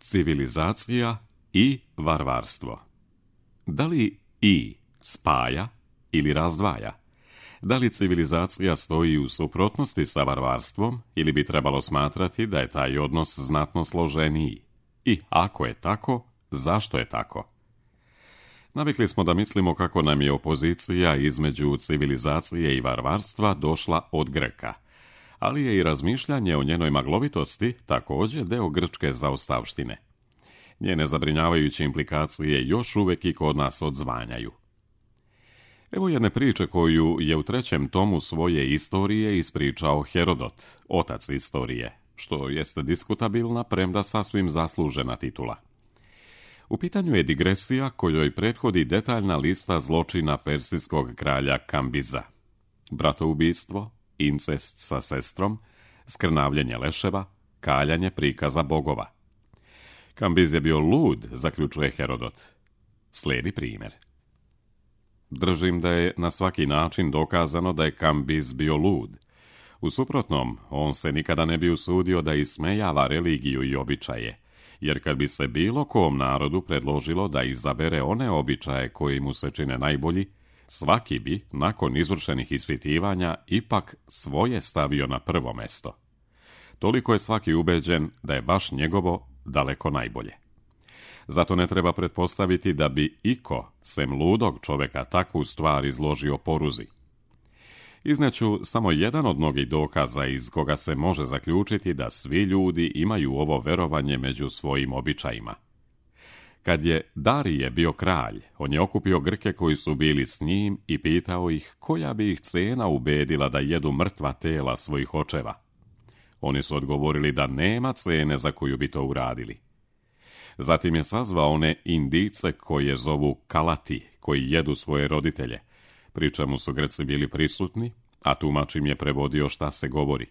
Civilizacija i varvarstvo. Da li i spaja ili razdvaja? Da li civilizacija stoji u suprotnosti sa varvarstvom ili bi trebalo smatrati da je taj odnos znatno složeniji? I ako je tako, zašto je tako? Navikli smo da mislimo kako nam je opozicija između civilizacije i varvarstva došla od Grka, ali je i razmišljanje o njenoj maglovitosti također deo grčke zaostavštine. Njene zabrinjavajuće implikacije još uvijek i kod nas odzvanjaju. Evo jedne priče koju je u 3. tomu svoje istorije ispričao Herodot, otac istorije, što jeste diskutabilna, premda sasvim zaslužena titula. U pitanju je digresija kojoj prethodi detaljna lista zločina persijskog kralja Kambiza. Bratoubistvo, incest sa sestrom, skrnavljenje leševa, kaljanje prikaza bogova. Kambiz je bio lud, zaključuje Herodot. Slijedi primjer. Držim da je na svaki način dokazano da je Kambiz bio lud. U suprotnom, on se nikada ne bi usudio da ismejava religiju i običaje, jer kad bi se bilo kom narodu predložilo da izabere one običaje koji mu se čine najbolji, svaki bi, nakon izvršenih ispitivanja, ipak svoje stavio na prvo mesto. Toliko je svaki ubeđen da je baš njegovo daleko najbolje. Zato ne treba pretpostaviti da bi iko, sem ludog čoveka, takvu stvar izložio poruzi. Izneću samo jedan od mnogih dokaza iz koga se može zaključiti da svi ljudi imaju ovo verovanje među svojim običajima. Kad je Darije bio kralj, on je okupio Grke koji su bili s njim i pitao ih koja bi ih cena ubedila da jedu mrtva tela svojih očeva. Oni su odgovorili da nema cene za koju bi to uradili. Zatim je sazvao one Indice koje zovu Kalati, koji jedu svoje roditelje, pri čemu su Grci bili prisutni, a tumač im je prevodio šta se govori.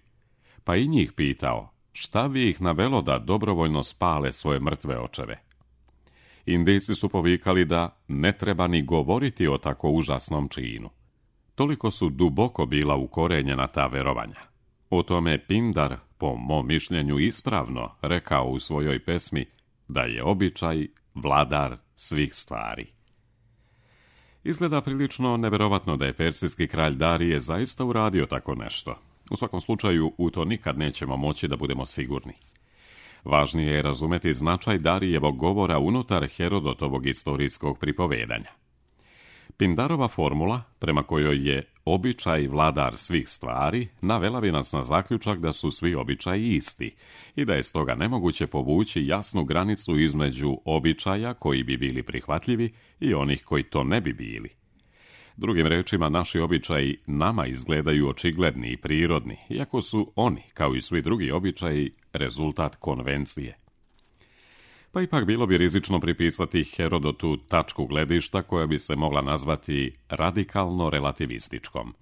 Pa i njih pitao, šta bi ih navelo da dobrovoljno spale svoje mrtve očeve? Indijci su povikali da ne treba ni govoriti o tako užasnom činu. Toliko su duboko bila ukorenjena ta verovanja. O tome Pindar, po mom mišljenju ispravno, rekao u svojoj pesmi da je običaj vladar svih stvari. Izgleda prilično neverovatno da je persijski kralj Darije zaista uradio tako nešto. U svakom slučaju, u to nikad nećemo moći da budemo sigurni. Važnije je razumeti značaj Darijevog govora unutar Herodotovog istorijskog pripovedanja. Pindarova formula, prema kojoj je običaj vladar svih stvari, navela bi nas na zaključak da su svi običaji isti i da je stoga nemoguće povući jasnu granicu između običaja koji bi bili prihvatljivi i onih koji to ne bi bili. Drugim rečima, naši običaji nama izgledaju očigledni i prirodni, iako su oni, kao i svi drugi običaji, rezultat konvencije. Pa ipak bilo bi rizično pripisati Herodotu tačku gledišta koja bi se mogla nazvati radikalno relativističkom.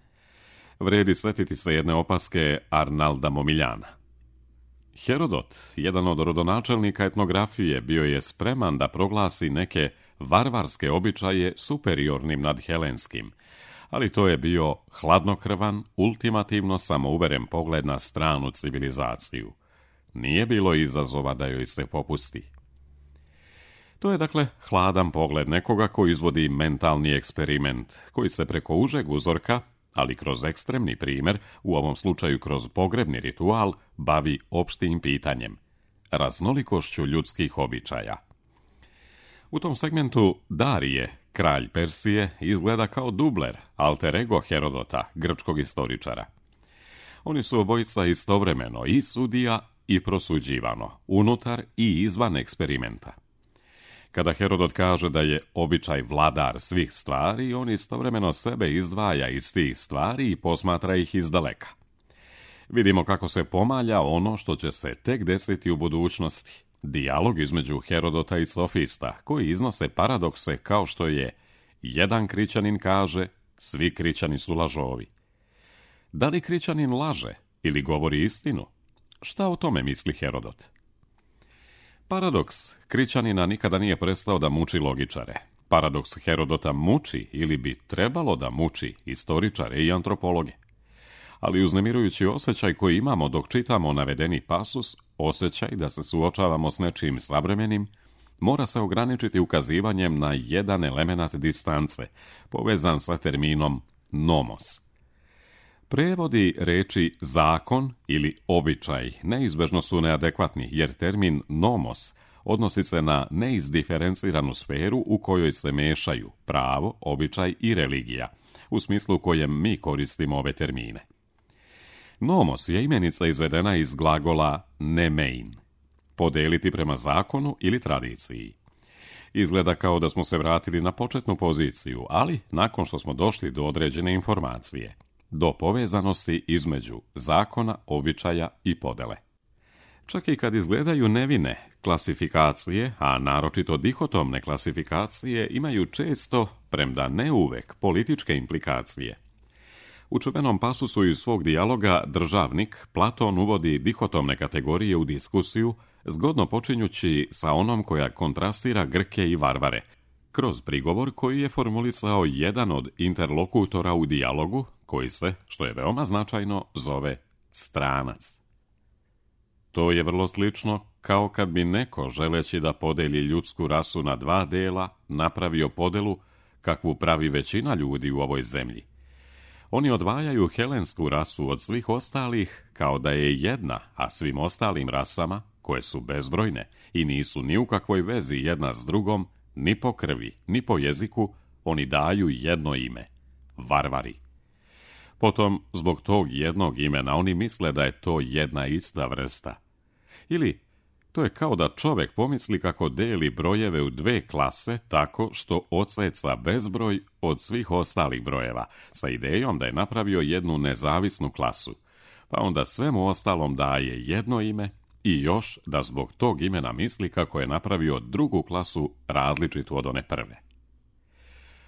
Vredi setiti se jedne opaske Arnalda Momiljana. Herodot, jedan od rodonačelnika etnografije, bio je spreman da proglasi neke varvarske običaje superiornim nad helenskim, ali to je bio hladnokrvan, ultimativno samouveren pogled na stranu civilizaciju. Nije bilo izazova da joj se popusti. To je dakle hladan pogled nekoga koji izvodi mentalni eksperiment, koji se preko užeg uzorka, ali kroz ekstremni primjer, u ovom slučaju kroz pogrebni ritual, bavi opštim pitanjem, raznolikošću ljudskih običaja. U tom segmentu Darije, kralj Persije, izgleda kao dubler, alter ego Herodota, grčkog istoričara. Oni su obojica istovremeno i sudija i prosuđivano, unutar i izvan eksperimenta. Kada Herodot kaže da je običaj vladar svih stvari, on istovremeno sebe izdvaja iz tih stvari i posmatra ih izdaleka. Vidimo kako se pomalja ono što će se tek desiti u budućnosti. Dijalog između Herodota i sofista, koji iznose paradokse kao što je jedan krićanin kaže, svi krićani su lažovi. Da li krićanin laže ili govori istinu? Šta o tome misli Herodot? Paradoks krićanina nikada nije prestao da muči logičare. Paradoks Herodota muči ili bi trebalo da muči istoričare i antropologe. ali uznemirujući osjećaj koji imamo dok čitamo navedeni pasus, osjećaj da se suočavamo s nečim savremenim, mora se ograničiti ukazivanjem na jedan element distance, povezan sa terminom nomos. Prevodi reči zakon ili običaj neizbežno su neadekvatni, jer termin nomos odnosi se na neizdiferenciranu sferu u kojoj se mešaju pravo, običaj i religija, u smislu u kojem mi koristimo ove termine. Nomos je imenica izvedena iz glagola nemein, podeliti prema zakonu ili tradiciji. Izgleda kao da smo se vratili na početnu poziciju, ali nakon što smo došli do određene informacije, do povezanosti između zakona, običaja i podele. Čak i kad izgledaju nevine, klasifikacije, a naročito dihotomne klasifikacije, imaju često, premda ne uvek, političke implikacije. U čuvenom pasusu iz svog dijaloga Državnik Platon uvodi dihotomne kategorije u diskusiju, zgodno počinjući sa onom koja kontrastira Grke i varvare, kroz prigovor koji je formulisao jedan od interlokutora u dijalogu, koji se, što je veoma značajno, zove stranac. To je vrlo slično kao kad bi neko, želeći da podeli ljudsku rasu na dva dela, napravio podelu kakvu pravi većina ljudi u ovoj zemlji. Oni odvajaju helensku rasu od svih ostalih kao da je jedna, a svim ostalim rasama, koje su bezbrojne i nisu ni u kakvoj vezi jedna s drugom, ni po krvi, ni po jeziku, oni daju jedno ime – varvari. Potom, zbog tog jednog imena, oni misle da je to jedna ista vrsta. Ili, to je kao da čovjek pomisli kako deli brojeve u dve klase tako što odseca bezbroj od svih ostalih brojeva, sa idejom da je napravio jednu nezavisnu klasu, pa onda svemu ostalom daje jedno ime i još da zbog tog imena misli kako je napravio drugu klasu različitu od one prve.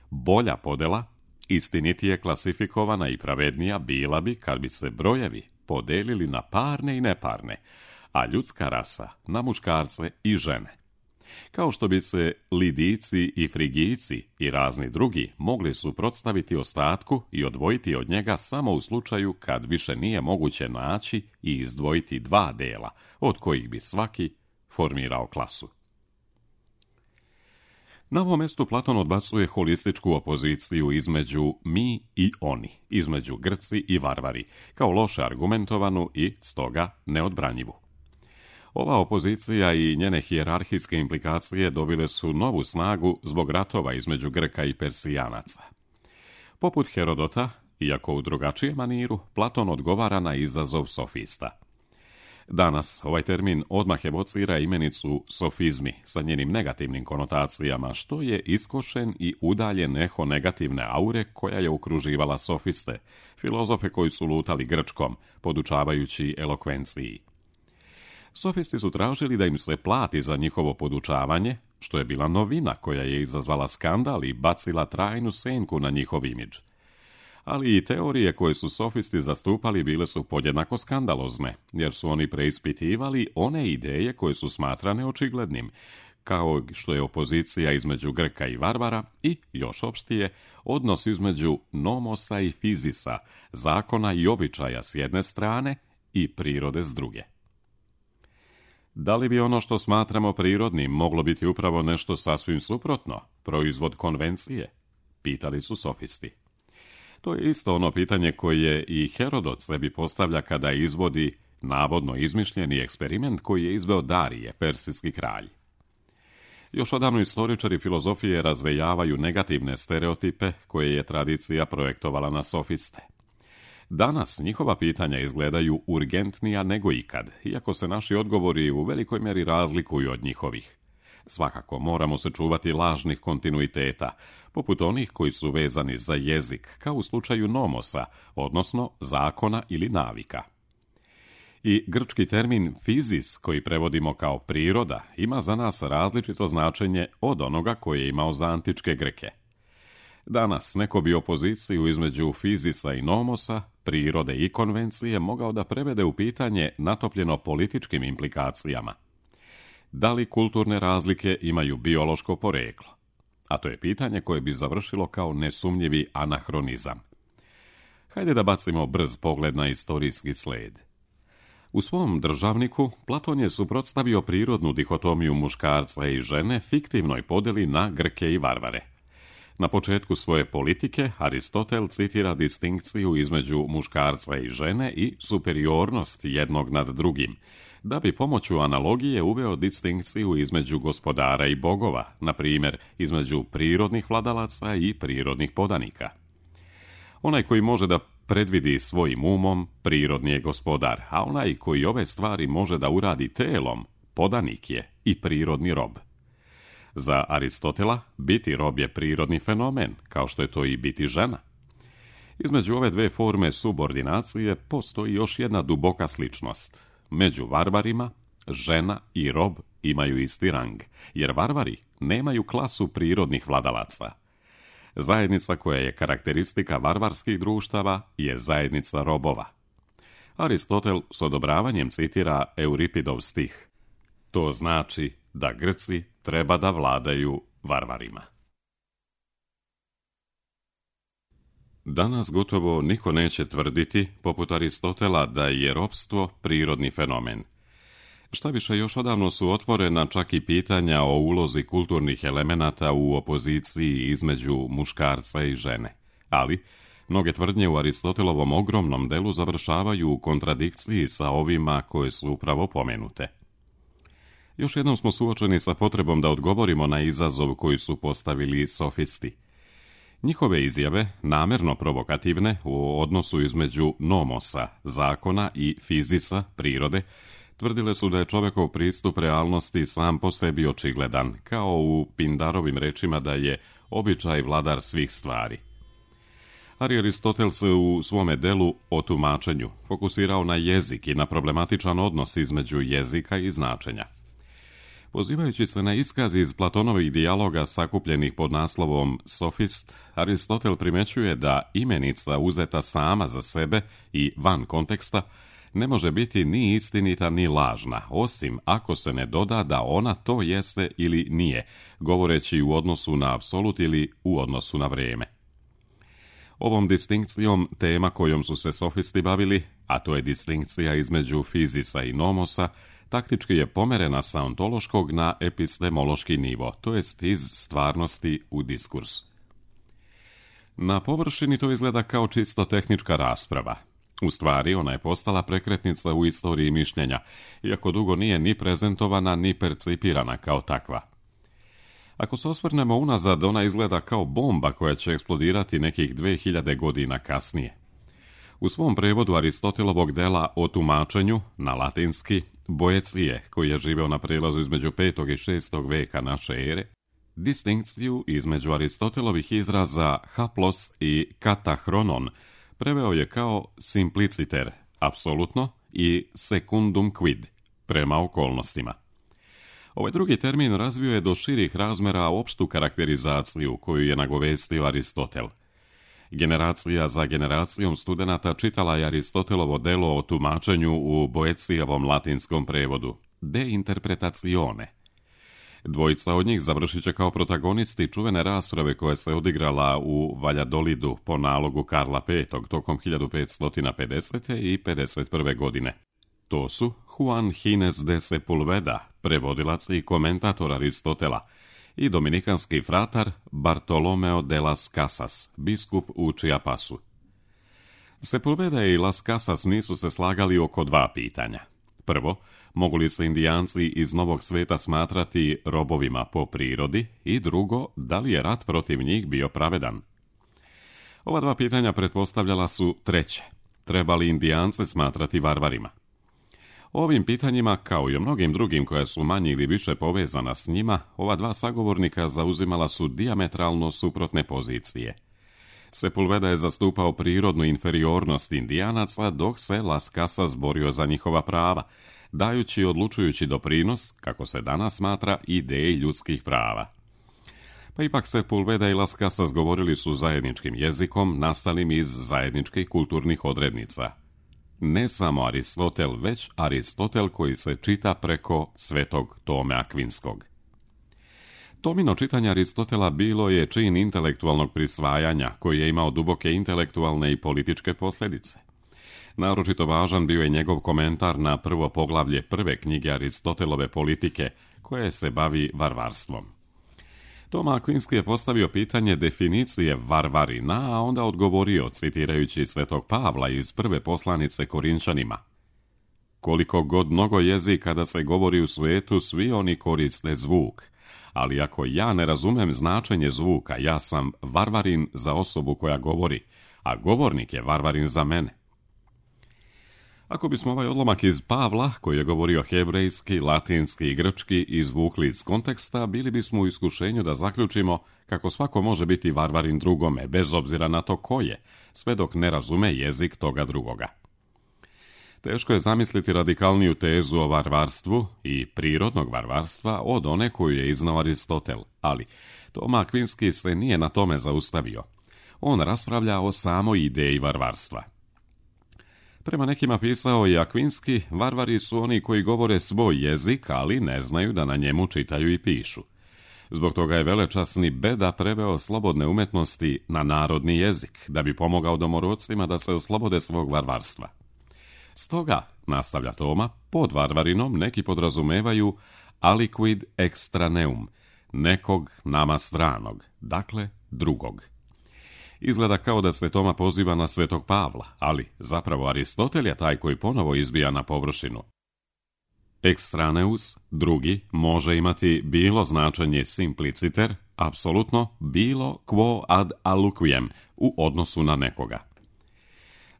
Bolja podela, istinitije klasifikovana i pravednija bila bi kad bi se brojevi podelili na parne i neparne, a ljudska rasa na muškarce i žene. Kao što bi se Lidijci i Frigijci i razni drugi mogli suprotstaviti ostatku i odvojiti od njega samo u slučaju kad više nije moguće naći i izdvojiti dva dela, od kojih bi svaki formirao klasu. Na ovom mjestu Platon odbacuje holističku opoziciju između mi i oni, između Grci i varvari, kao loše argumentovanu i, stoga, neodbranjivu. Ova opozicija i njene hijerarhijske implikacije dobile su novu snagu zbog ratova između Grka i Persijanaca. Poput Herodota, iako u drugačijem maniru, Platon odgovara na izazov sofista. Danas ovaj termin odmah evocira imenicu sofizmi sa njenim negativnim konotacijama, što je iskošen i udaljen eho negativne aure koja je okruživala sofiste, filozofe koji su lutali grčkom, podučavajući elokvenciji. Sofisti su tražili da im se plati za njihovo podučavanje, što je bila novina koja je izazvala skandal i bacila trajnu senku na njihov imidž. Ali i teorije koje su sofisti zastupali bile su podjednako skandalozne, jer su oni preispitivali one ideje koje su smatrane očiglednim, kao što je opozicija između Grka i varvara i, još opštije, odnos između nomosa i fizisa, zakona i običaja s jedne strane i prirode s druge. Da li bi ono što smatramo prirodnim moglo biti upravo nešto sasvim suprotno, proizvod konvencije? Pitali su sofisti. To je isto ono pitanje koje i Herodot sebi postavlja kada izvodi navodno izmišljeni eksperiment koji je izveo Darije, persijski kralj. Još odavno istoričari filozofije razvejavaju negativne stereotipe koje je tradicija projektovala na sofiste. Danas njihova pitanja izgledaju urgentnija nego ikad, iako se naši odgovori u velikoj mjeri razlikuju od njihovih. Svakako moramo se čuvati lažnih kontinuiteta, poput onih koji su vezani za jezik, kao u slučaju nomosa, odnosno zakona ili navika. I grčki termin fizis, koji prevodimo kao priroda, ima za nas različito značenje od onoga koje je imao za antičke Grke. Danas neko bi opoziciju između fizisa i nomosa, prirode i konvencije mogao da prevede u pitanje natopljeno političkim implikacijama. Da li kulturne razlike imaju biološko poreklo? A to je pitanje koje bi završilo kao nesumnjivi anahronizam. Hajde da bacimo brz pogled na istorijski sled. U svom državniku Platon je suprotstavio prirodnu dihotomiju muškarca i žene fiktivnoj podjeli na Grke i varvare. Na početku svoje politike Aristotel citira distinkciju između muškarca i žene i superiornost jednog nad drugim, da bi pomoću analogije uveo distinkciju između gospodara i bogova, na primjer između prirodnih vladalaca i prirodnih podanika. Onaj koji može da predvidi svojim umom, prirodni je gospodar, a onaj koji ove stvari može da uradi telom, podanik je i prirodni rob. Za Aristotela biti rob je prirodni fenomen, kao što je to i biti žena. Između ove dve forme subordinacije postoji još jedna duboka sličnost. Među varvarima žena i rob imaju isti rang, jer varvari nemaju klasu prirodnih vladalaca. Zajednica koja je karakteristika varvarskih društava je zajednica robova. Aristotel s odobravanjem citira Euripidov stih. To znači da Grci treba da vladaju varvarima. Danas gotovo niko neće tvrditi, poput Aristotela, da je ropstvo prirodni fenomen. Šta više, još odavno su otvorena čak i pitanja o ulozi kulturnih elemenata u opoziciji između muškarca i žene. Ali, mnoge tvrdnje u Aristotelovom ogromnom delu završavaju u kontradikciji sa ovima koje su upravo pomenute. Još jednom smo suočeni sa potrebom da odgovorimo na izazov koji su postavili sofisti. Njihove izjave, namerno provokativne u odnosu između nomosa, zakona, i fizisa, prirode, tvrdile su da je čovjekov pristup realnosti sam po sebi očigledan, kao u Pindarovim rečima da je običaj vladar svih stvari. Aristotel se u svome delu o tumačenju fokusirao na jezik i na problematičan odnos između jezika i značenja. Pozivajući se na iskaz iz Platonovih dijaloga sakupljenih pod naslovom Sofist, Aristotel primećuje da imenica uzeta sama za sebe i van konteksta ne može biti ni istinita ni lažna, osim ako se ne doda da ona to jeste ili nije, govoreći u odnosu na apsolut ili u odnosu na vrijeme. Ovom distinkcijom tema kojom su se sofisti bavili, a to je distinkcija između fizisa i nomosa, taktički je pomerena sa ontološkog na epistemološki nivo, to jest iz stvarnosti u diskurs. Na površini to izgleda kao čisto tehnička rasprava. U stvari, ona je postala prekretnica u istoriji mišljenja, iako dugo nije ni prezentovana ni percipirana kao takva. Ako se osvrnemo unazad, ona izgleda kao bomba koja će eksplodirati nekih 2000 godina kasnije. U svom prevodu Aristotelovog dela o tumačenju, na latinski, Boecije, koji je živeo na prelazu između 5. i 6. veka naše ere, distinkciju između Aristotelovih izraza haplos i katahronon preveo je kao simpliciter, apsolutno, i secundum quid, prema okolnostima. Ovaj drugi termin razvio je do širih razmera opštu karakterizaciju koju je nagovestio Aristotel. Generacija za generacijom studenata čitala je Aristotelovo delo o tumačenju u Boecijevom latinskom prevodu, De interpretazione. Dvojica od njih završit će kao protagonisti čuvene rasprave koja se odigrala u Valjadolidu po nalogu Karla V tokom 1550. i 51. godine. To su Juan Gines de Sepulveda, prevodilac i komentator Aristotela, i dominikanski fratar Bartolomeo de las Casas, biskup u Chiapasu. Sepulveda i Las Casas nisu se slagali oko dva pitanja. Prvo, mogu li se Indijanci iz Novog sveta smatrati robovima po prirodi, i drugo, da li je rat protiv njih bio pravedan? Ova dva pitanja pretpostavljala su treće. Treba li Indijance smatrati varvarima? O ovim pitanjima, kao i o mnogim drugim koja su manje ili više povezana s njima, ova dva sagovornika zauzimala su dijametralno suprotne pozicije. Sepulveda je zastupao prirodnu inferiornost Indijanaca, dok se Las Casas borio za njihova prava, dajući odlučujući doprinos, kako se danas smatra, ideji ljudskih prava. Pa ipak Sepulveda i Las Casas govorili su zajedničkim jezikom, nastalim iz zajedničkih kulturnih odrednica. Ne samo Aristotel, već Aristotel koji se čita preko Svetog Tome Akvinskog. Tomino čitanje Aristotela bilo je čin intelektualnog prisvajanja koji je imao duboke intelektualne i političke posljedice. Naročito važan bio je njegov komentar na prvo poglavlje prve knjige Aristotelove politike, koje se bavi varvarstvom. Toma Akvinski je postavio pitanje definicije varvarina, a onda odgovorio, citirajući svetog Pavla iz prve poslanice Korinčanima: koliko god mnogo jezika da se govori u svijetu, svi oni koriste zvuk, ali ako ja ne razumem značenje zvuka, ja sam varvarin za osobu koja govori, a govornik je varvarin za mene. Ako bismo ovaj odlomak iz Pavla, koji je govorio hebrejski, latinski i grčki, izvukli iz konteksta, bili bismo u iskušenju da zaključimo kako svako može biti varvarin drugome, bez obzira na to ko je, sve dok ne razume jezik toga drugoga. Teško je zamisliti radikalniju tezu o varvarstvu i prirodnog varvarstva od one koju je iznao Aristotel, ali Toma Akvinski se nije na tome zaustavio. On raspravlja o samoj ideji varvarstva. Prema nekima, pisao je Akvinski, varvari su oni koji govore svoj jezik, ali ne znaju da na njemu čitaju i pišu. Zbog toga je velečasni Beda preveo slobodne umetnosti na narodni jezik, da bi pomogao domorodcima da se oslobode svog varvarstva. Stoga, nastavlja Toma, pod varvarinom neki podrazumevaju aliquid extraneum, nekog nama stranog, dakle drugog. Izgleda kao da se Toma poziva na svetog Pavla, ali zapravo Aristotel je taj koji ponovo izbija na površinu. Extraneus, drugi, može imati bilo značenje simpliciter, apsolutno bilo quo ad aliquiem, u odnosu na nekoga.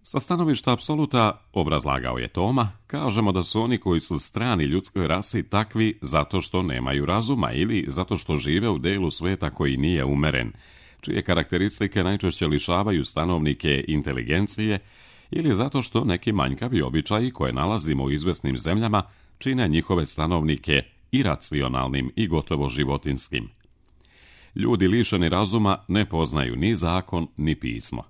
Sa stanovišta apsoluta, obrazlagao je Toma, kažemo da su oni koji su strani ljudskoj rasi takvi zato što nemaju razuma ili zato što žive u delu sveta koji nije umeren, čije karakteristike najčešće lišavaju stanovnike inteligencije, ili zato što neki manjkavi običaji koje nalazimo u izvesnim zemljama čine njihove stanovnike iracionalnim i gotovo životinskim. Ljudi lišeni razuma ne poznaju ni zakon ni pismo.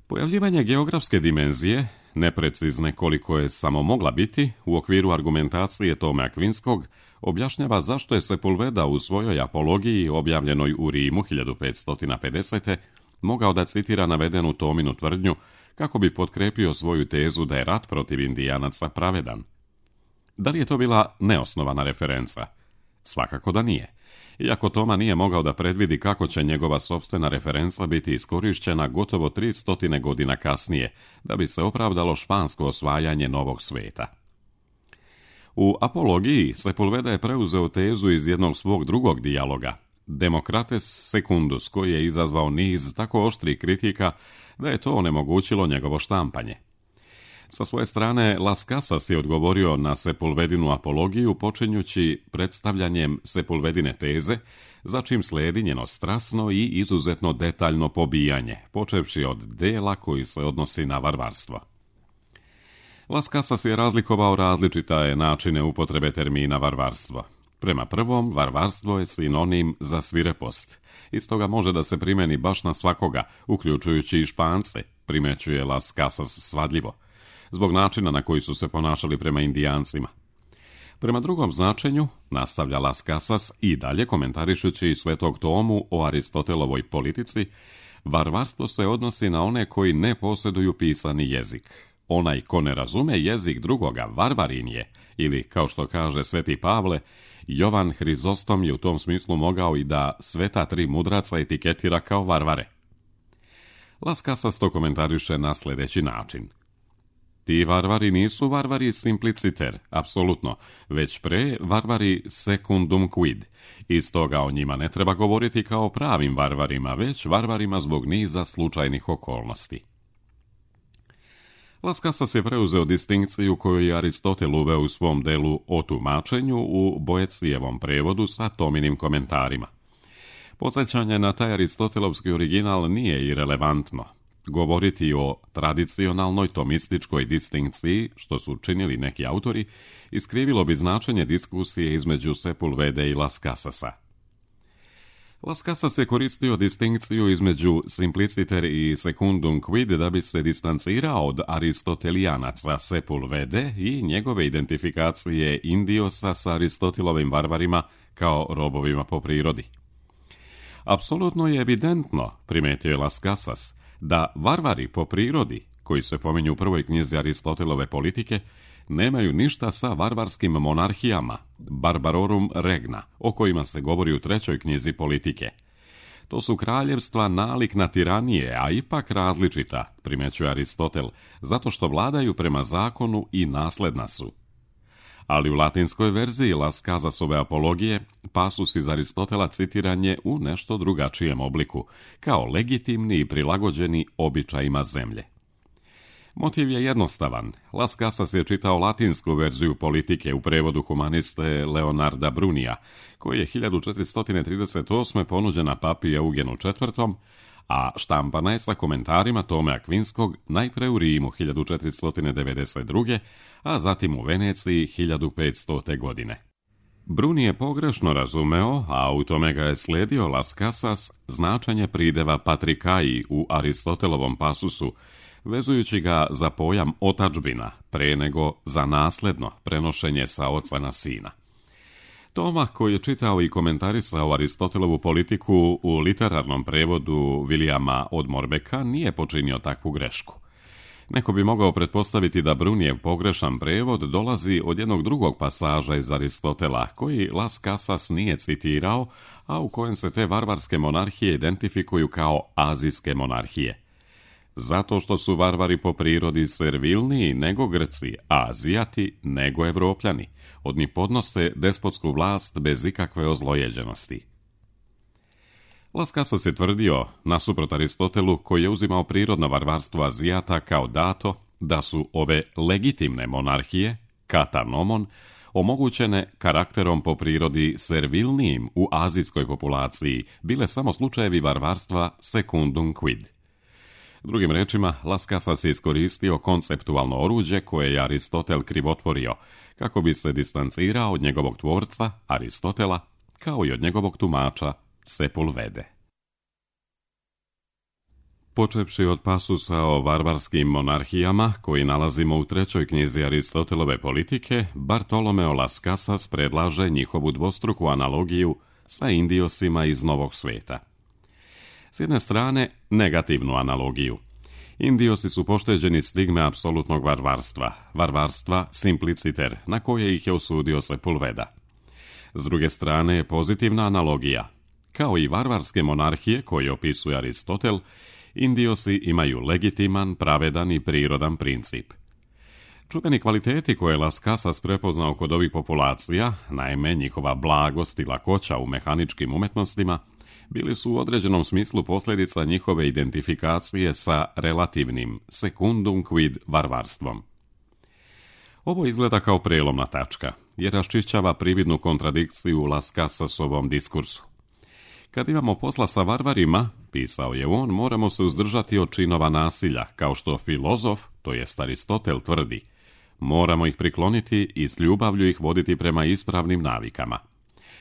Pojavljivanje geografske dimenzije, neprecizne koliko je samo mogla biti, u okviru argumentacije Tome Akvinskog, objašnjava zašto je Sepulveda u svojoj apologiji, objavljenoj u Rimu 1550. mogao da citira navedenu Tominu tvrdnju kako bi potkrepio svoju tezu da je rat protiv Indijanaca pravedan. Da li je to bila neosnovana referenca? Svakako da nije. Iako Toma nije mogao da predvidi kako će njegova sopstvena referenca biti iskorišćena gotovo 300 godina kasnije, da bi se opravdalo špansko osvajanje novog sveta. U apologiji Sepulveda je preuzeo tezu iz jednog svog drugog dijaloga, Democrates Secundus, koji je izazvao niz tako oštrih kritika da je to onemogućilo njegovo štampanje. Sa svoje strane, Las Casas je odgovorio na Sepulvedinu apologiju počinjući predstavljanjem Sepulvedine teze, za čim sledi njeno strasno i izuzetno detaljno pobijanje, počevši od dela koji se odnosi na varvarstvo. Las Casas je razlikovao različite načine upotrebe termina varvarstvo. Prema prvom, varvarstvo je sinonim za svirepost. Iz toga može da se primeni baš na svakoga, uključujući i Špance, primećuje Las Casas svadljivo, zbog načina na koji su se ponašali prema Indijancima. Prema drugom značenju, nastavlja Las Casas i dalje komentarišući svetog Tomu o Aristotelovoj politici, varvarstvo se odnosi na one koji ne posjeduju pisani jezik. Onaj ko ne razume jezik drugoga, varvarin je, ili, kao što kaže sveti Pavle, Jovan Hrizostom je u tom smislu mogao i da sveta tri mudraca etiketira kao varvare. Las Casas to komentariše na sljedeći način. Ti varvari nisu varvari simpliciter, apsolutno, već pre varvari secundum quid. Iz toga o njima ne treba govoriti kao pravim varvarima, već varvarima zbog niza slučajnih okolnosti. Las Casas je preuzeo distinkciju koju je Aristotel uveo u svom delu o tumačenju u Boecijevom prevodu sa Tominim komentarima. Podsjećanje na taj aristotelovski original nije irelevantno. Govoriti o tradicionalnoj tomističkoj distinkciji, što su činili neki autori, iskrivilo bi značenje diskusije između Sepulvede i Las Casasa. Las Casas je koristio distinkciju između simpliciter i secundum quid da bi se distancirao od aristotelijanaca Sepulvede i njegove identifikacije Indiosa sa Aristotelovim varvarima kao robovima po prirodi. Apsolutno je evidentno, primetio je Las Casas, da varvari po prirodi, koji se pominju u prvoj knjizi Aristotelove politike, nemaju ništa sa varvarskim monarhijama, barbarorum regna, o kojima se govori u trećoj knjizi politike. To su kraljevstva nalik na tiranije, a ipak različita, primećuje Aristotel, zato što vladaju prema zakonu i nasledna su. Ali u latinskoj verziji Las Casasove apologije pasus iz Aristotela citiran je u nešto drugačijem obliku, kao legitimni i prilagođeni običajima zemlje. Motiv je jednostavan. Las Casas je čitao latinsku verziju politike u prevodu humaniste Leonarda Brunija, koji je 1438. ponuđena papi Eugenu IV., a štampana je sa komentarima Tome Akvinskog najpre u Rimu 1492. a zatim u Veneciji 1500. godine. Bruni je pogrešno razumeo, a u tome ga je slijedio Las Casas, značenje prideva patrikaji u Aristotelovom pasusu, vezujući ga za pojam otadžbina, pre nego za nasledno prenošenje sa oca na sina. Toma, koji je čitao i komentarisao Aristotelovu politiku u literarnom prevodu Vilijama od Morbeka, nije počinio takvu grešku. Neko bi mogao pretpostaviti da Brunijev pogrešan prevod dolazi od jednog drugog pasaža iz Aristotela, koji Las Casas nije citirao, a u kojem se te varvarske monarhije identifikuju kao azijske monarhije. Zato što su varvari po prirodi servilniji nego Grci, a Azijati nego Evropljani. Od njih podnose despotsku vlast bez ikakve ozlojeđenosti. Las Casas je tvrdio, nasuprot Aristotelu, koji je uzimao prirodno varvarstvo Azijata kao dato, da su ove legitimne monarhije, kata nomon, omogućene karakterom po prirodi servilnijim u azijskoj populaciji, bile samo slučajevi varvarstva secundum quid. Drugim rečima, Las Casas je iskoristio konceptualno oruđe koje je Aristotel krivotvorio, kako bi se distancirao od njegovog tvorca, Aristotela, kao i od njegovog tumača, Sepulvede. Počevši od pasusa o varvarskim monarhijama, koji nalazimo u trećoj knjizi Aristotelove politike, Bartolomeo Las Casas predlaže njihovu dvostruku analogiju sa Indiosima iz Novog svijeta. S jedne strane, negativnu analogiju. Indiosi su pošteđeni stigme apsolutnog varvarstva simpliciter, na koje ih je osudio Sepulveda. S druge strane je pozitivna analogija. Kao i varvarske monarhije koje opisuje Aristotel, Indiosi imaju legitiman, pravedan i prirodan princip. Čuveni kvaliteti koje Las Casas prepoznao kod ovih populacija, naime njihova blagost i lakoća u mehaničkim umetnostima, bili su u određenom smislu posljedica njihove identifikacije sa relativnim secundum quid varvarstvom. Ovo izgleda kao prelomna tačka, jer raščišćava prividnu kontradikciju u Las Casasovom diskursu. Kad imamo posla sa varvarima, pisao je on, moramo se uzdržati od činova nasilja, kao što filozof, to jest Aristotel, tvrdi. Moramo ih prikloniti i s ljubavlju ih voditi prema ispravnim navikama.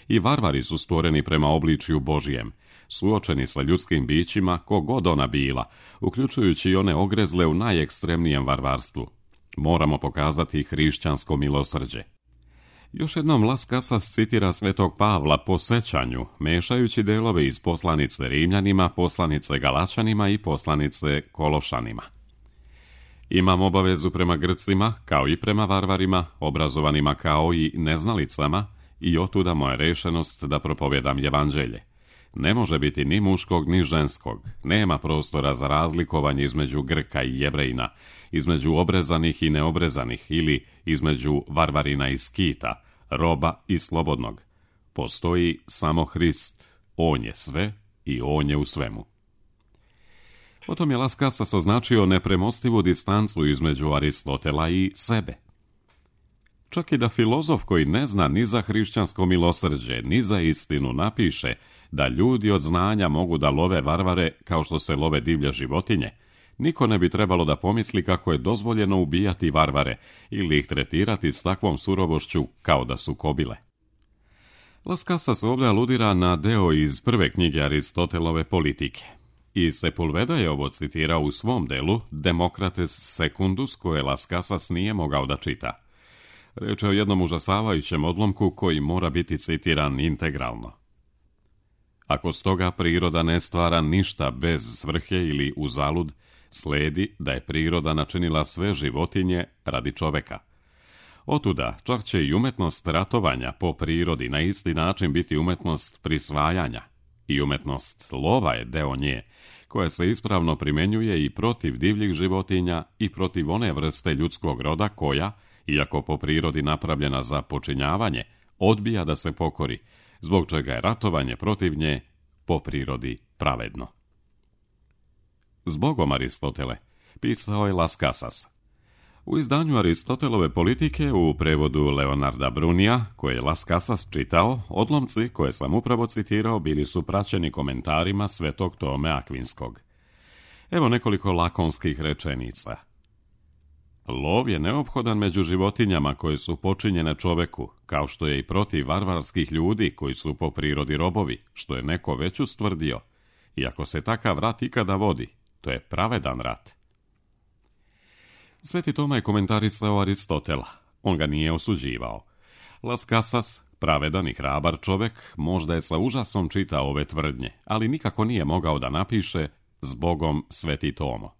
I varvari su stvoreni prema obličju Božijem, suočeni sa ljudskim bićima, kogod ona bila, uključujući i one ogrezle u najekstremnijem varvarstvu. Moramo pokazati hrišćansko milosrđe. Još jednom Las Casas citira svetog Pavla po sećanju, mešajući delove iz poslanice Rimljanima, poslanice Galačanima i poslanice Kološanima. Imam obavezu prema Grcima, kao i prema varvarima, obrazovanima kao i neznalicama, i otuda moja rešenost da propovjedam evanđelje. Ne može biti ni muškog ni ženskog, nema prostora za razlikovanje između Grka i Jevrejina, između obrezanih i neobrezanih ili između varvarina i skita, roba i slobodnog. Postoji samo Hrist, on je sve i on je u svemu. Potom je Las Casas označio nepremostivu distancu između Aristotela i sebe. Čak i da filozof koji ne zna ni za hrišćansko milosrđe, ni za istinu napiše da ljudi od znanja mogu da love varvare kao što se love divlje životinje, niko ne bi trebalo da pomisli kako je dozvoljeno ubijati varvare ili ih tretirati s takvom surovošću kao da su kobile. Las Casas ovdje aludira na deo iz prve knjige Aristotelove Politike. I Sepulveda je ovo citirao u svom delu Demokrates Secundus, koje Las Casas nije mogao da čita. Reč je o jednom užasavajućem odlomku koji mora biti citiran integralno. Ako stoga priroda ne stvara ništa bez svrhe ili uzalud, sledi da je priroda načinila sve životinje radi čoveka. Otuda čak će i umetnost ratovanja po prirodi na isti način biti umetnost prisvajanja. I umetnost lova je deo nje, koja se ispravno primjenjuje i protiv divljih životinja i protiv one vrste ljudskog roda koja, iako po prirodi napravljena za počinjavanje, odbija da se pokori, zbog čega je ratovanje protiv nje po prirodi pravedno. Zbogom Aristotele, pisao je Las Casas. U izdanju Aristotelove Politike u prevodu Leonarda Brunija, koje je Las Casas čitao, odlomci koje sam upravo citirao bili su praćeni komentarima Svetog Tome Akvinskog. Evo nekoliko lakonskih rečenica. Lov je neophodan među životinjama koje su počinjene čoveku, kao što je i protiv varvarskih ljudi koji su po prirodi robovi, što je neko već ustvrdio. I ako se takav rat ikada vodi, to je pravedan rat. Sveti Toma je komentarisao Aristotela. On ga nije osuđivao. Las Casas, pravedan i hrabar čovek, možda je sa užasom čitao ove tvrdnje, ali nikako nije mogao da napiše zbogom Sveti Tomo.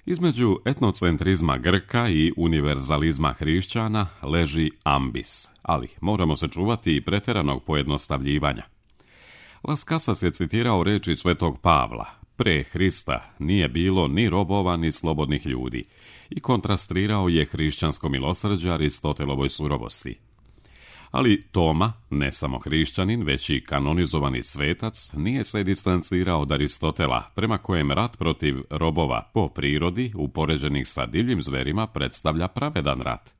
Između etnocentrizma Grka i univerzalizma hrišćana leži ambis, ali moramo se čuvati i preteranog pojednostavljivanja. Las Casas je citirao reči Svetog Pavla: pre Hrista nije bilo ni robova ni slobodnih ljudi, i kontrastirao je hrišćansko milosrđe Aristotelovoj surovosti. Ali Toma, ne samo hrišćanin, već i kanonizovani svetac, nije se distancirao od Aristotela, prema kojem rat protiv robova po prirodi, upoređenih sa divljim zverima, predstavlja pravedan rat.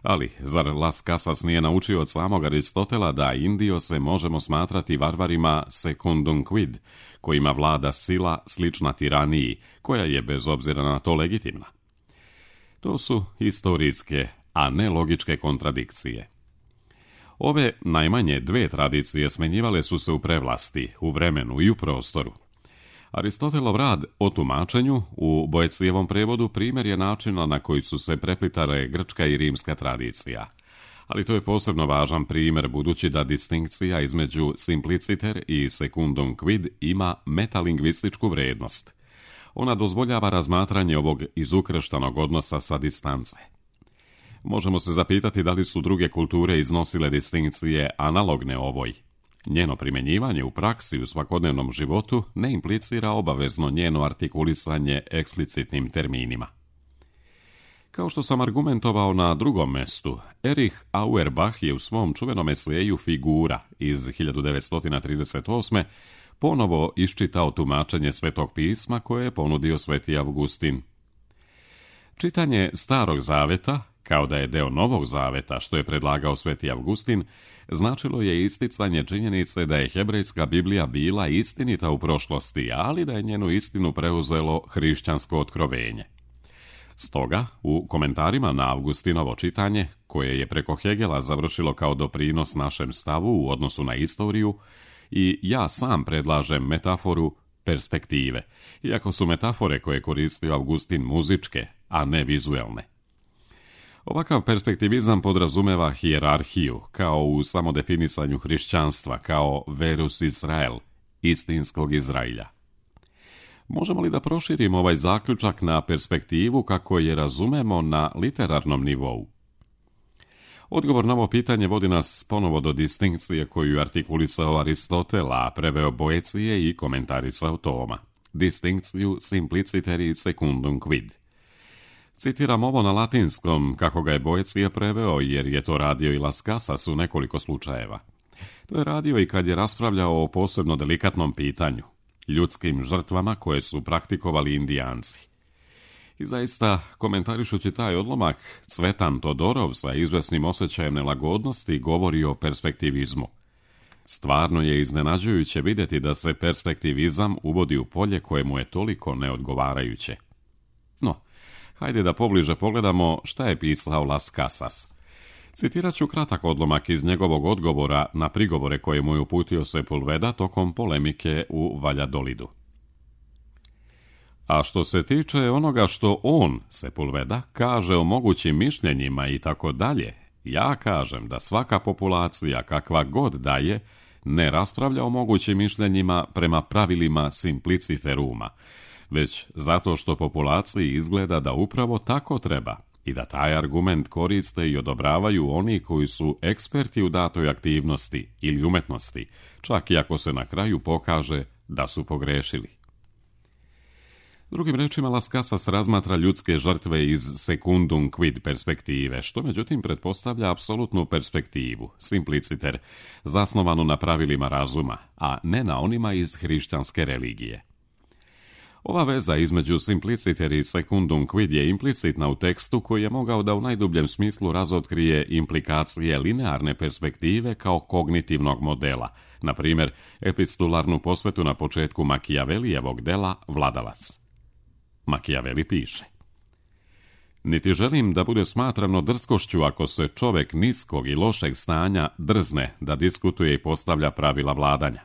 Ali, zar Las Casas nije naučio od samog Aristotela da Indiose možemo smatrati varvarima secundum quid, kojima vlada sila slična tiraniji, koja je bez obzira na to legitimna? To su historijske, a ne logičke kontradikcije. Ove najmanje dve tradicije smenjivale su se u prevlasti, u vremenu i u prostoru. Aristotelov rad o tumačenju u Boecijevom prevodu primjer je načina na koji su se preplitale grčka i rimska tradicija. Ali to je posebno važan primjer budući da distinkcija između simpliciter i secundum quid ima metalingvističku vrednost. Ona dozvoljava razmatranje ovog izukrštanog odnosa sa distance. Možemo se zapitati da li su druge kulture iznosile distinkcije analogne ovoj. Njeno primjenjivanje u praksi u svakodnevnom životu ne implicira obavezno njeno artikulisanje eksplicitnim terminima. Kao što sam argumentovao na drugom mestu, Erich Auerbach je u svom čuvenom eseju Figura iz 1938. ponovo iščitao tumačenje Svetog pisma koje je ponudio Sveti Avgustin. Čitanje Starog zaveta, kao da je deo Novog zaveta što je predlagao Sveti Avgustin, značilo je isticanje činjenice da je hebrejska Biblija bila istinita u prošlosti, ali da je njenu istinu preuzelo hrišćansko otkrovenje. Stoga, u komentarima na Avgustinovo čitanje, koje je preko Hegela završilo kao doprinos našem stavu u odnosu na istoriju, i ja sam predlažem metaforu perspektive, iako su metafore koje koristio Avgustin muzičke, a ne vizuelne. Ovakav perspektivizam podrazumeva hijerarhiju, kao u samodefinisanju hrišćanstva, kao verus Israel, istinskog Izrailja. Možemo li da proširimo ovaj zaključak na perspektivu kako je razumemo na literarnom nivou? Odgovor na ovo pitanje vodi nas ponovo do distinkcije koju je artikulisao Aristotel, a preveo Boecije i komentarisao Toma. Distinkciju simpliciter secundum quid. Citiram ovo na latinskom, kako ga je Boecije preveo, jer je to radio i Las Casas u nekoliko slučajeva. To je radio i kad je raspravljao o posebno delikatnom pitanju, ljudskim žrtvama koje su praktikovali Indijanci. I zaista, komentarišući taj odlomak, Cvetan Todorov sa izvesnim osjećajem nelagodnosti govori o perspektivizmu. Stvarno je iznenađujuće vidjeti da se perspektivizam uvodi u polje kojemu je toliko neodgovarajuće. No, hajde da pobliže pogledamo šta je pisao Las Casas. Citirat ću kratak odlomak iz njegovog odgovora na prigovore koje mu je uputio Sepulveda tokom polemike u Valjadolidu. A što se tiče onoga što on, Sepulveda, kaže o mogućim mišljenjima i tako dalje, ja kažem da svaka populacija, kakva god da je, ne raspravlja o mogućim mišljenjima prema pravilima simpliciteruma, već zato što populaciji izgleda da upravo tako treba i da taj argument koriste i odobravaju oni koji su eksperti u datoj aktivnosti ili umetnosti, čak i ako se na kraju pokaže da su pogrešili. Drugim rečima, Las Casas razmatra ljudske žrtve iz secundum quid perspektive, što međutim pretpostavlja apsolutnu perspektivu, simpliciter, zasnovanu na pravilima razuma, a ne na onima iz hrišćanske religije. Ova veza između simpliciter i secundum quid je implicitna u tekstu koji je mogao da u najdubljem smislu razotkrije implikacije linearne perspektive kao kognitivnog modela, na primjer epistolarnu posvetu na početku Makijavelijevog dela Vladalac. Makijaveli piše: niti želim da bude smatrano drskošću ako se čovek niskog i lošeg stanja drzne da diskutuje i postavlja pravila vladanja.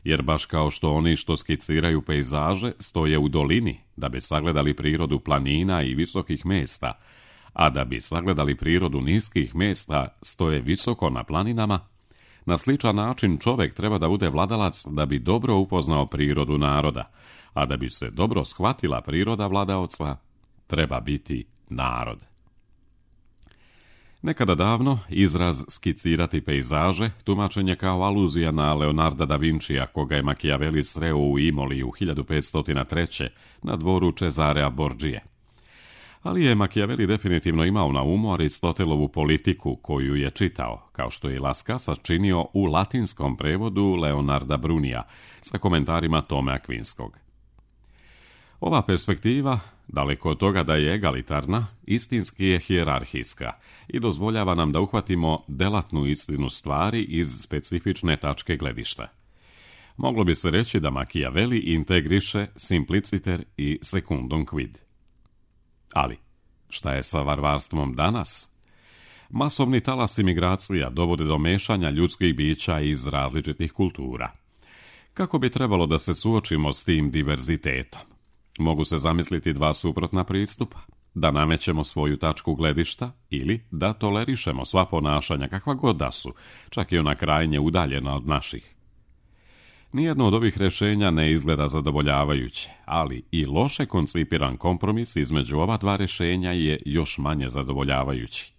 Jer baš kao što oni što skiciraju pejzaže stoje u dolini da bi sagledali prirodu planina i visokih mesta, a da bi sagledali prirodu niskih mesta stoje visoko na planinama, na sličan način čovek treba da bude vladalac da bi dobro upoznao prirodu naroda, a da bi se dobro shvatila priroda vladaoca, treba biti narod. Nekada davno, izraz skicirati pejzaže tumačen je kao aluzija na Leonarda da Vincija, koga je Makijaveli sreo u Imoli u 1503. na dvoru Cesarea Borgije. Ali je Makijaveli definitivno imao na umu Aristotelovu politiku koju je čitao, kao što je Las Casas činio u latinskom prevodu Leonarda Brunija, sa komentarima Tome Akvinskog. Ova perspektiva, daleko od toga da je egalitarna, istinski je hijerarhijska i dozvoljava nam da uhvatimo delatnu istinu stvari iz specifične tačke gledišta. Moglo bi se reći da Makijaveli integriše simpliciter i secundum quid. Ali, šta je sa varvarstvom danas? Masovni talas imigracija dovode do mešanja ljudskih bića iz različitih kultura. Kako bi trebalo da se suočimo s tim diverzitetom? Mogu se zamisliti dva suprotna pristupa, da namećemo svoju tačku gledišta ili da tolerišemo sva ponašanja kakva god da su, čak i ona krajnje udaljena od naših. Nijedno od ovih rješenja ne izgleda zadovoljavajuće, ali i loše koncipiran kompromis između ova dva rješenja je još manje zadovoljavajući.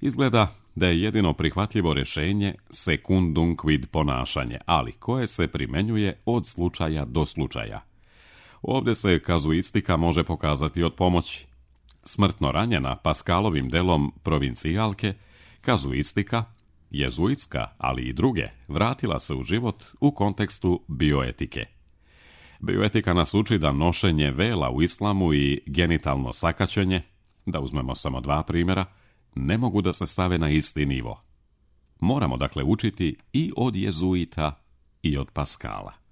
Izgleda da je jedino prihvatljivo rješenje secundum quid ponašanje, ali koje se primenjuje od slučaja do slučaja. Ovdje se kazuistika može pokazati od pomoći. Smrtno ranjena Paskalovim delom Provincijalke, kazuistika, jezuitska, ali i druge, vratila se u život u kontekstu bioetike. Bioetika nas uči da nošenje vela u islamu i genitalno sakaćenje, da uzmemo samo dva primjera, ne mogu da se stave na isti nivo. Moramo dakle učiti i od jezuita i od Paskala.